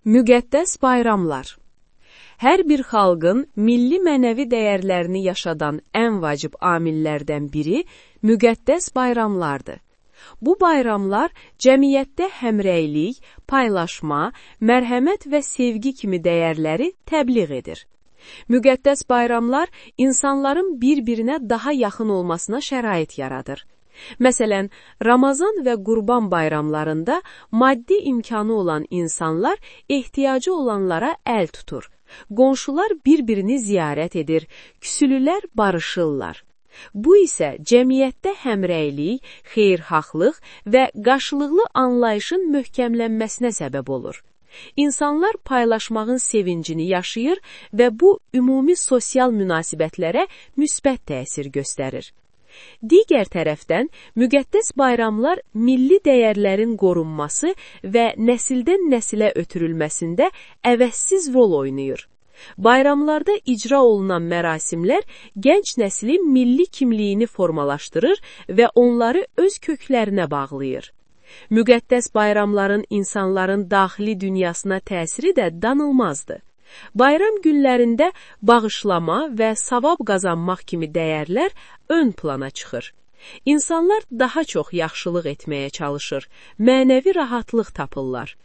Müqəddəs bayramlar. Hər bir xalqın milli mənəvi dəyərlərini yaşadan ən vacib amillərdən biri müqəddəs bayramlardır. Bu bayramlar cəmiyyətdə həmrəylik, paylaşma, mərhəmət və sevgi kimi dəyərləri təbliğ edir. Müqəddəs bayramlar insanların bir-birinə daha yaxın olmasına şərait yaradır. Məsələn, Ramazan və Qurban bayramlarında maddi imkanı olan insanlar ehtiyacı olanlara əl tutur. Qonşular bir-birini ziyarət edir, küsülülər barışırlar. Bu isə cəmiyyətdə həmrəylik, xeyirxahlıq və qarşılıqlı anlayışın möhkəmlənməsinə səbəb olur. İnsanlar paylaşmağın sevincini yaşayır və bu ümumi sosial münasibətlərə müsbət təsir göstərir. Digər tərəfdən, müqəddəs bayramlar milli dəyərlərin qorunması və nəsildən nəsilə ötürülməsində əvəzsiz rol oynayır. Bayramlarda icra olunan mərasimlər gənc nəslin milli kimliyini formalaşdırır və onları öz köklərinə bağlayır. Müqəddəs bayramların insanların daxili dünyasına təsiri də danılmazdır. Bayram günlərində bağışlama və savab qazanmaq kimi dəyərlər ön plana çıxır. İnsanlar daha çox yaxşılıq etməyə çalışır, mənəvi rahatlıq tapırlar.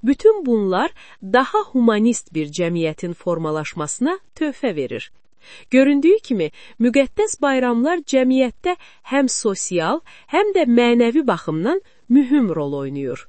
Bütün bunlar daha humanist bir cəmiyyətin formalaşmasına töhfə verir. Göründüyü kimi, müqəddəs bayramlar cəmiyyətdə həm sosial, həm də mənəvi baxımdan mühüm rol oynayır.